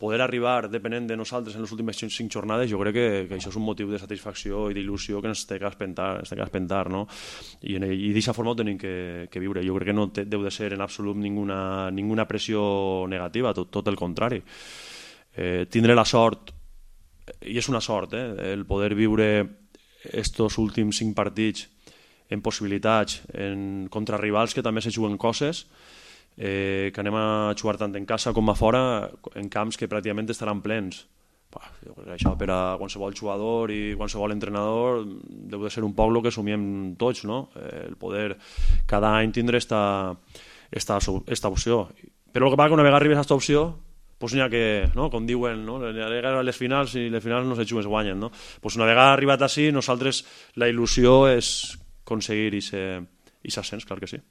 poder arribar depenent de nosaltres en les últimes 5 jornades, jo crec que això és un motiu de satisfacció i d'il·lusió que ens té que espentar, no? I d'aquesta forma ho tenim que viure. Jo crec que no deu de ser en absolut ninguna pressió negativa, tot el contrari. Tindre la sort, i és una sort, el poder viure estos últims 5 partits en possibilitats, contra rivals que també se juguen coses, que anem a jugar tant en casa com a fora, en camps que pràcticament estaran plens. Jo crec que això per a qualsevol jugador i qualsevol entrenador deu de ser un poc el que somiem tots, no? El poder cada any tindre esta opció. Però el que passa que una vegada arribes a aquesta opció, doncs n'hi ha que, com diuen, les finals, i les finals no se juguen, es guanyen, no? Una vegada arribat així, nosaltres la il·lusió és aconseguir aquest ascens, clar que sí.